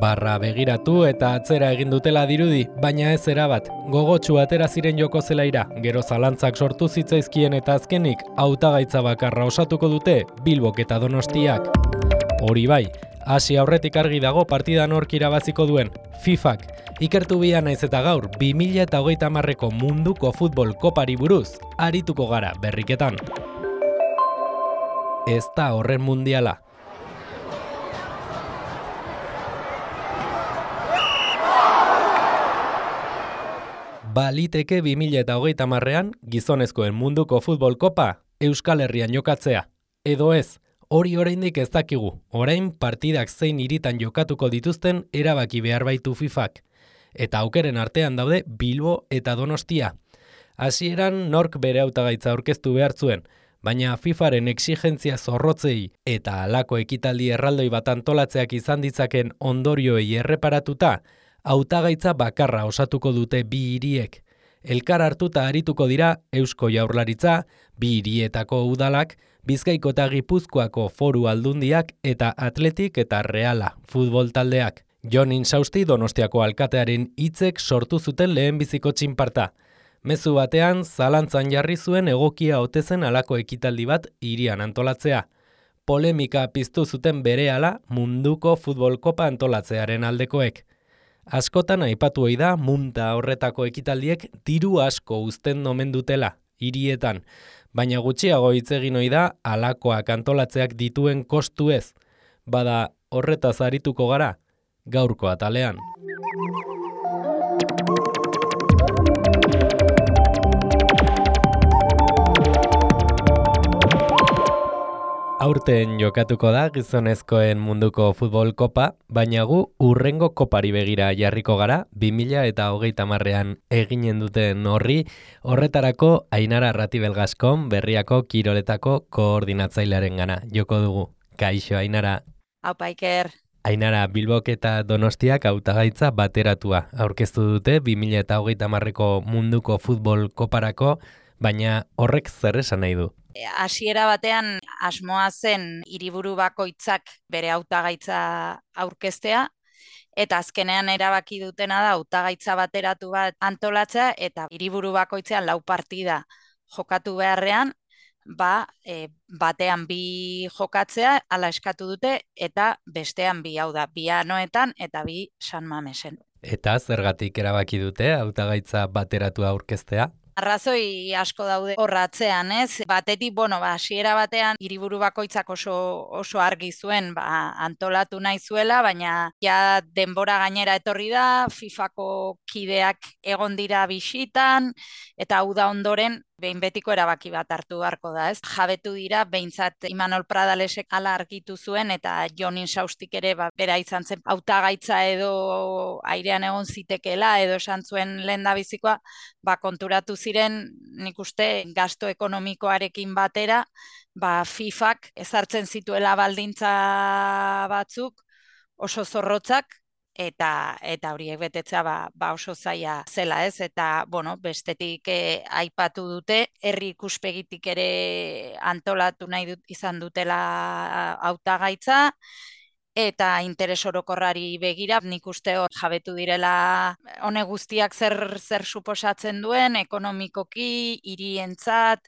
Barra begiratu eta atzera egin dutela dirudi, baina ez erabat. Gogotsu atera ziren joko zelaira, gero zalantzak sortu zitzaizkien eta azkenik hautagaitza bakarra osatuko dute Bilbok eta Donostiak. Hori bai, hasi aurretik argi dago partida nork irabaziko duen, FIFAk. Ikertu bia naiz eta gaur 2030ko munduko futbol kopari buruz arituko gara berriketan. Ez da horren mundiala. Baliteke 2030ean gizonezkoen munduko futbol kopa Euskal Herrian jokatzea. Edo ez, hori oraindik ez dakigu. Orain partidak zein hiritan jokatuko dituzten erabaki behar baitu FIFAk. Eta aukeren artean daude Bilbo eta Donostia. Hasieran nork bere hautagaitza aurkeztu behar zuen, baina FIFAren exigentzia zorrotzei eta halako ekitaldi erraldoi bat antolatzeak izan ditzaken ondorioei erreparatuta, hautagaitza bakarra osatuko dute bi hiriek. Elkar hartuta arituko dira Eusko Jaurlaritza, bi hirietako udalak, Bizkaiko eta Gipuzkoako foru aldundiak eta Atletik eta Reala futbol taldeak. Jon Insausti Donostiako alkatearen hitzek sortu zuten lehenbiziko txinparta. Mezu batean zalantzan jarri zuen egokia ote zen halako ekitaldi bat hirian antolatzea. Polemika piztu zuten berehala munduko futbol kopa antolatzearen aldekoek. Askotan aipatu ohi da munta horretako ekitaldiek diru asko uzten omen dutela hirietan, baina gutxiago hitz egin ohi da halakoak antolatzeak dituen kostu ez. Bada horretaz arituko gara gaurko atalean. Aurten jokatuko da gizonezkoen munduko futbol kopa, baina gu hurrengo kopari begira jarriko gara, 2030ean eginen duten horretarako Ainara Ratibel Gaskon Berriako Kiroletako koordinatzailearen gana joko dugu. Kaixo, Ainara. Aupa, Iker. Ainara, Bilbok eta Donostiak hautagaitza bateratua aurkeztu dute 2030ko munduko futbol koparako, baina horrek zer esan nahi du? Hasiera batean asmoa zen hiriburu bakoitzak bere hautagaitza aurkeztea, eta azkenean erabaki dutena da hautagaitza bateratu bat antolatzea eta hiriburu bakoitzean 4 partida jokatu beharrean, batean 2 jokatzea hala eskatu dute eta bestean 2, hau da, 2 Anoetan eta 2 San Mamesen. Eta zergatik erabaki dute hautagaitza bateratua aurkeztea? Arrazoi asko daude horratzean, ez? Batetik, hasiera batean hiriburu bakoitzak oso argi zuen, antolatu nahi zuela, baina ja denbora gainera etorri da, FIFAko kideak egon dira bisitan, eta hau da ondoren behin betiko erabaki bat hartu beharko da, ez? Jabetu dira, behintzat Imanol Pradalesek hala argitu zuen, eta Jon Insaustik ere bera izan zen hautagaitza edo airean egon zitekeela, edo esan zuen lehendabizikoa, konturatu ziren, nik uste, gasto ekonomikoarekin batera, FIFAk ezartzen zituela baldintza batzuk oso zorrotzak, eta horiek betetzea oso zaila zela, ez? Eta, bestetik aipatu dute, herri ikuspegitik ere antolatu nahi izan dutela hautagaitza, eta interes orokorrari begira, nik uste hor jabetu direla honek guztiak zer suposatzen duen, ekonomikoki, hirientzat,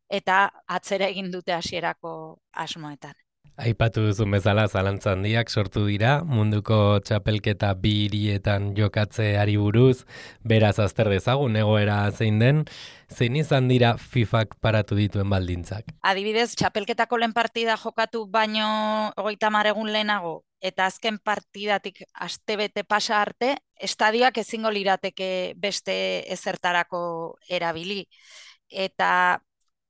eta atzera egin dute hasierako asmoetan. Aipatu duzun bezala zalantza handiak sortu dira, munduko txapelketa 2 hirietan jokatzeari buruz, beraz azter dezagun egoera zein den, zein izan dira FIFAk paratu dituen baldintzak? Adibidez, txapelketako lehen partida jokatu baino 30 egun lehenago, eta azken partidatik astebete pasa arte, estadioak ezingo lirateke beste ezertarako erabili. Eta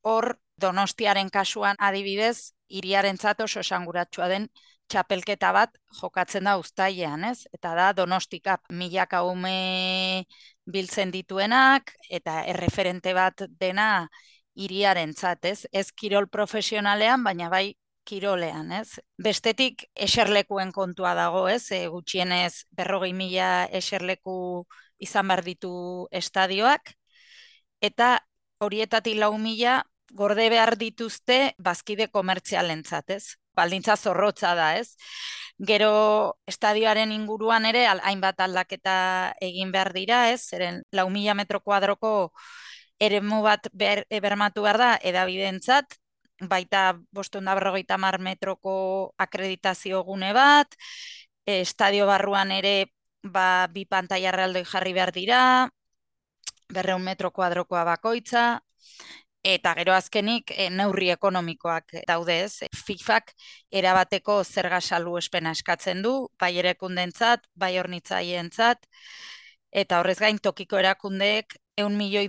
hor, Donostiaren kasuan adibidez, hiriarentzat oso esanguratsua den txapelketa bat jokatzen da uztailean, ez? Eta da Donostikap milaka ume biltzen dituenak eta erreferente bat dena hiriarentzat, ez? Ez kirol profesionalean, baina bai kirolean, ez? Bestetik eserlekuen kontua dago, ez? Gutxienez 40.000 eserleku izan behar ditu estadioak, eta horietatik 4.000 gorde behar dituzte bazkide komertzialentzat, ez? baldintza zorrotza da, ez? Gero estadioaren inguruan ere hainbat aldaketa egin behar dira, ez? Zeren 4.000 metro kuadroko eremu bat bermatu behar da edabideentzat, baita 550 metroko akreditazio gune bat, estadio barruan ere bi pantaila erraldoi jarri behar dira, 200 metro kuadrokoa bakoitza, eta gero azkenik neurri ekonomikoak daude, ez? FIFAk erabateko zerga salbuespena eskatzen du, bai erakundentzat, bai hornitzaientzat, eta horrez gain tokiko erakundeek $100 milioi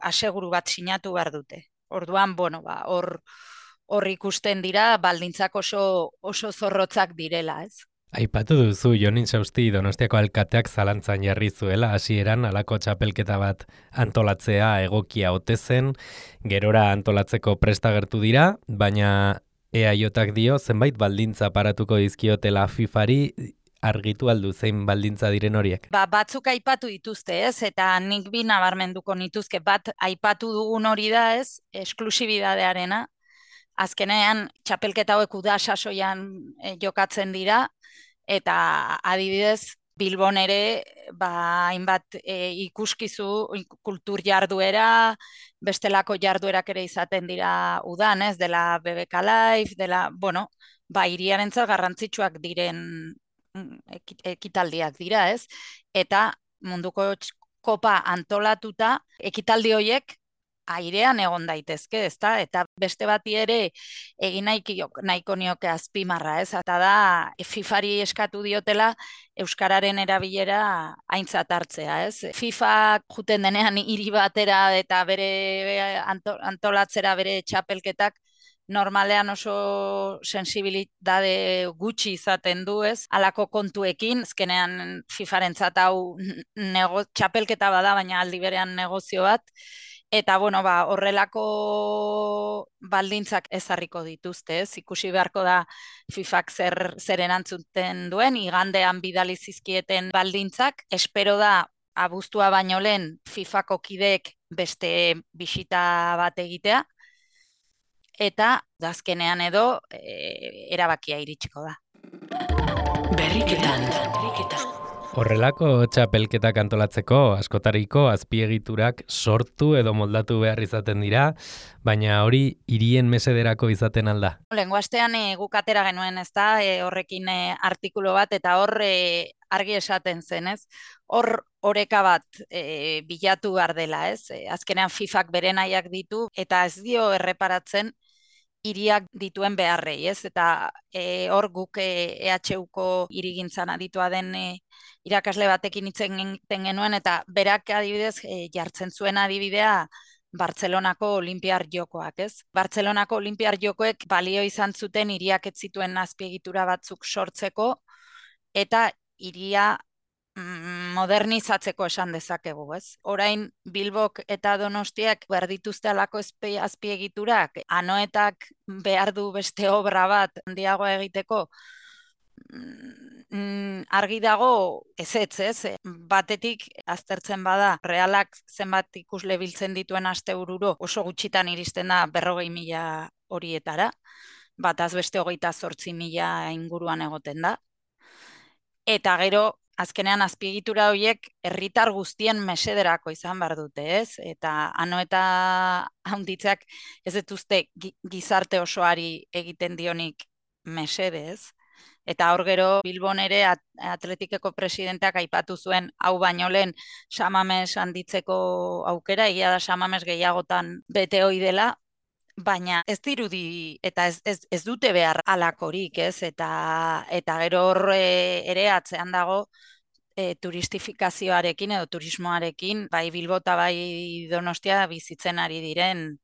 aseguru bat sinatu behar dute. Orduan, hor ikusten dira baldintzak oso zorrotzak direla, ez? Aipatu duzu Jon Intsausti Donostiako alkateak zalantzan jarri zuela, hasieran halako txapelketa bat antolatzea egokia ote zen, gerora antolatzeko prest agertu dira, baina EAJak dio zenbait baldintza paratuko dizkiotela FIFari, argitu aldu zein baldintza diren horiek. Batzuk aipatu dituzte, ez? Eta nik bi nabarmenduko nituzke, bat aipatu dugun hori da, ez? Esklusibidadearena. Azkenean txapelketa hauek uda sasoian jokatzen dira, eta adibidez Bilbon ere hainbat ikuskizu kultur jarduera, bestelako jarduerak ere izaten dira udan, ez? Dela BBK Live, hiriarentzat garrantzitsuak diren ekitaldiak dira, ez? Eta munduko kopa antolatuta, ekitaldi horiek airean egon daitezke, ezta? Eta beste bati ere egin nahiko nioke azpimarra, ez? Eta da FIFari eskatu diotela euskararen erabilera aintzat hartzea, ez? FIFA juten denean hiri batera eta bere antolatzera bere txapelketak normalean oso sensibilitate gutxi izaten du, ez? Halako kontuekin, azkenean FIFarentzat hau txapelketa bada, baina aldi berean negozio bat. Eta, horrelako baldintzak ezarriko dituzte, ez? Ikusi beharko da FIFak zer erantzuten duen, igandean bidali zizkieten baldintzak. Espero da, abuztua baino lehen FIFako kideek beste bisita bat egitea, eta azkenean edo erabakia iritsiko da. Berriketan. Horrelako txapelketak antolatzeko askotariko azpiegiturak sortu edo moldatu behar izaten dira, baina hori hirien mesederako izaten alda. Lehengo astean guk atera genuen, ezta, horrekin artikulu bat, eta hor argi esaten zen, ez? Hor oreka bat bilatu behar dela, ez? Azkenean FIFak bere nahiak ditu, eta ez dio erreparatzen hiriak dituen beharrei, ez? Eta hor guk EHUko hirigintzan aditua den irakasle batekin hitz egiten genuen, eta berak adibidez jartzen zuen adibidea Bartzelonako Olinpiar Jokoak, ez? Bartzelonako Olinpiar Jokoek balio izan zuten hiriak ez zituen azpiegitura batzuk sortzeko, eta hiria modernizatzeko esan dezakegu, ez? Orain Bilbok eta Donostiak behar dituzte alako azpiegiturak, Anoetak behar du beste obra bat handiagoa egiteko, argi dago ezetz, ez? Batetik aztertzen bada, Realak zenbat ikusle biltzen dituen astebururo oso gutxitan iristen da 40.000 horietara, bataz beste 28.000 inguruan egoten da. Eta gero, azkenean azpiegitura horiek herritar guztien mesederako izan behar dute, ez? Eta Anoeta handitzeak ez dituzte gizarte osoari egiten dionik mesede, ez? Eta hor gero Bilbon ere Atletikeko presidenteak aipatu zuen hau baino lehen Samames handitzeko aukera, egia da Samames gehiagotan bete ohi dela, baina ez dirudi eta ez dute behar halakorik, ez? Eta gero hor ere atzean dago turistifikazioarekin edo turismoarekin, bai Bilbo eta bai Donostia bizitzen ari diren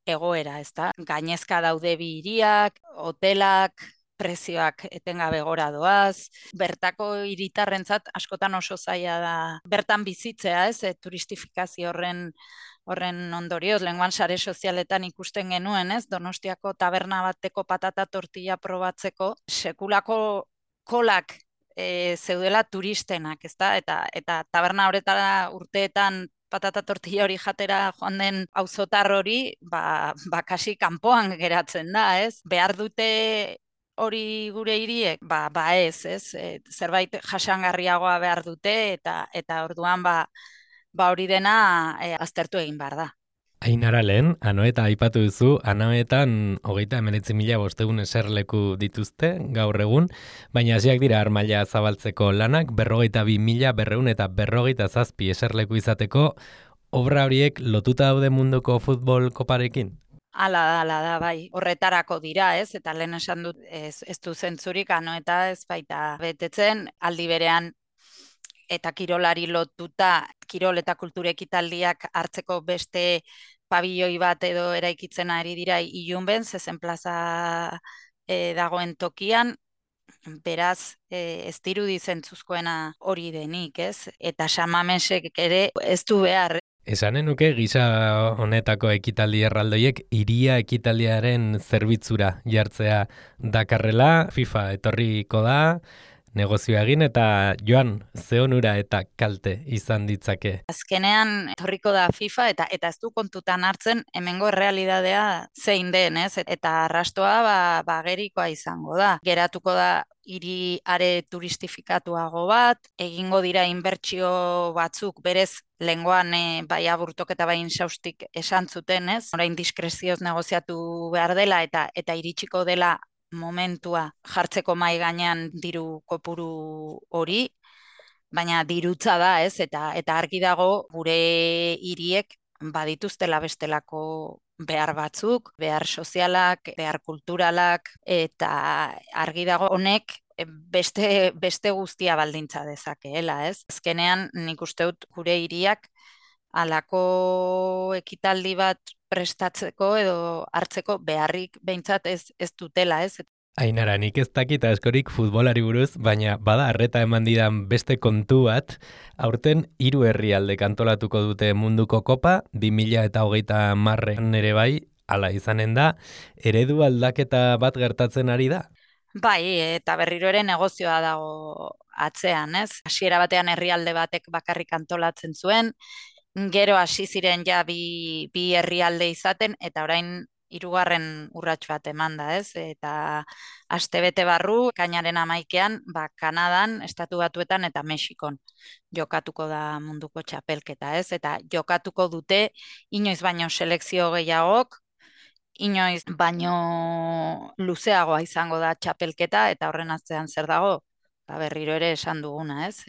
egoera, ezta? Gainezka daude bi hiriak, hotelak, prezioak etengabe gora doaz, bertako hiritarrentzat askotan oso zaila da bertan bizitzea, ez? Turistifikazio horren ondorioz, lehengoan sare sozialetan ikusten genuen, ez? Donostiako taberna bateko patata tortilla probatzeko sekulako kolak zeudela turistenak, ezta? Eta taberna horretara urteetan patata tortilla hori jatera joan den auzotar hori, kasi kanpoan geratzen da, ez? Behar dute hori gure hiriek, ez, zerbait jasangarriagoa behar dute, eta orduan hori dena aztertu egin behar da. Ainara lehen, Anoeta aipatu duzu, Anoetan 39.500 eserleku dituzte gaur egun, baina hasiak dira armaila zabaltzeko lanak, 42.247 eserleku izateko, obra horiek lotuta daude munduko futbol koparekin? Hala da, bai, horretarako dira, ez? Eta lehen esan dut, ez du zentzurik, Anoeta ez baita betetzen, aldi berean eta kirolari lotuta, kirol eta kultura ekitaldiak hartzeko beste pabilloi bat edo eraikitzen ari dira Ilunben, Zezen plaza dagoen tokian, beraz ez dirudi zentzuzkoena hori denik, ez? Eta Samamesek ere ez du behar. Esanen nuke gisa honetako ekitaldi erraldoiek hiria ekitaldiaren zerbitzura jartzea dakarrela, FIFA etorriko da, negozioa egin eta joan ze onura eta kalte izan ditzake. Azkenean etorriko da FIFA eta ez du kontutan hartzen hemengo errealitatea zein den, ez? Eta arrastoa gerikoa izango da. Geratuko da hiri are turistifikatuago bat, egingo dira inbertsio batzuk berez lengoan bai aburtok eta bai insaustik esan zuten, ez? Orain diskrezioz negoziatu behar dela eta iritsiko dela momentua jartzeko mai gainean diru kopuru hori, baina dirutza da, ez? Eta argi dago gure hiriek badituztela bestelako behar batzuk, behar sozialak, behar kulturalak, eta argi dago honek beste guztia baldintza dezakeela, ez? Azkenean nik uste dut gure hiriak halako ekitaldi bat prestatzeko edo hartzeko beharrik behintzat ez dutela, ez? Ainara, nik ez dakit askorik futbolari buruz, baina bada arreta eman didan beste kontu bat, aurten 3 herrialdek antolatuko dute munduko kopa, 2030 ere bai, hala izanen da, eredu aldaketa bat gertatzen ari da? Bai, eta berriro ere negozioa dago atzean, ez? Hasiera batean herrialde batek bakarrik antolatzen zuen, gero hasi ziren ja bi herrialde izaten, eta orain 3. urrats bat eman da, ez? Eta astebete barru, ekainaren 11ean, Kanadan, Estatu Batuetan eta Mexikon jokatuko da munduko txapelketa, ez? Eta jokatuko dute inoiz baino selekzio gehiagok, inoiz baino luzeagoa izango da txapelketa, eta horren atzean zer dago? Berriro ere esan duguna, ez?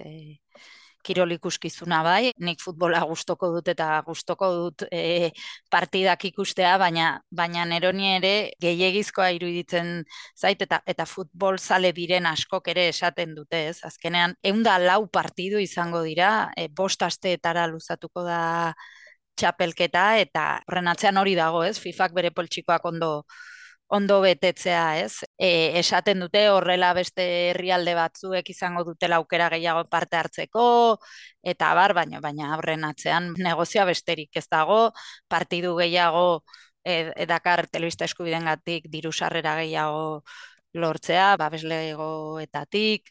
Kirol ikuskizuna bai, nik futbola gustoko dut eta gustoko dut partidak ikustea, baina neroni ere gehiegizkoa iruditzen zait eta futbol zale diren askok ere esaten dute, ez? Azkenean 104 partidu izango dira, 5 asteetara luzatuko da txapelketa, eta horren atzean hori dago, ez? FIFak bere poltsikoak ondo betetzea, ez? Esaten dute horrela beste herrialde batzuek izango dutela aukera gehiago parte hartzeko, eta baina horren atzean negozioa besterik ez dago, partidu gehiago edakar telebista eskubidengatik diru sarrera gehiago lortzea, babeslegoetatik,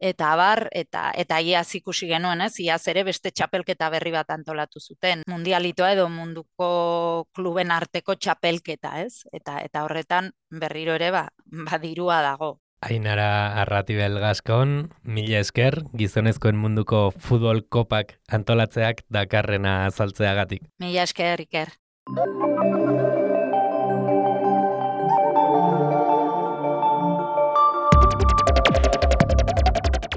eta iaz ikusi genuen, ez? Iaz ere beste txapelketa berri bat antolatu zuten. Mundialitoa edo munduko kluben arteko txapelketa, ez? Eta horretan berriro ere dirua dago. Ainara Arratibel Gascon, mila esker, gizonezkoen munduko futbol kopak antolatzeak dakarrena azaltzeagatik. Mila esker, Iker.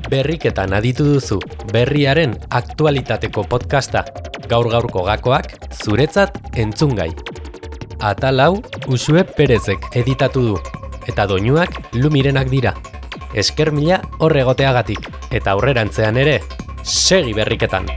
Berriketan aditu duzu, berriaren aktualitateko podcasta, gaur-gaurko gakoak, zuretzat entzungai. Atal hau Uxue Perezek editatu du, eta doinuak Lumirenak dira. Esker mila horregoteagatik, eta aurrerantzean ere, segi berriketan!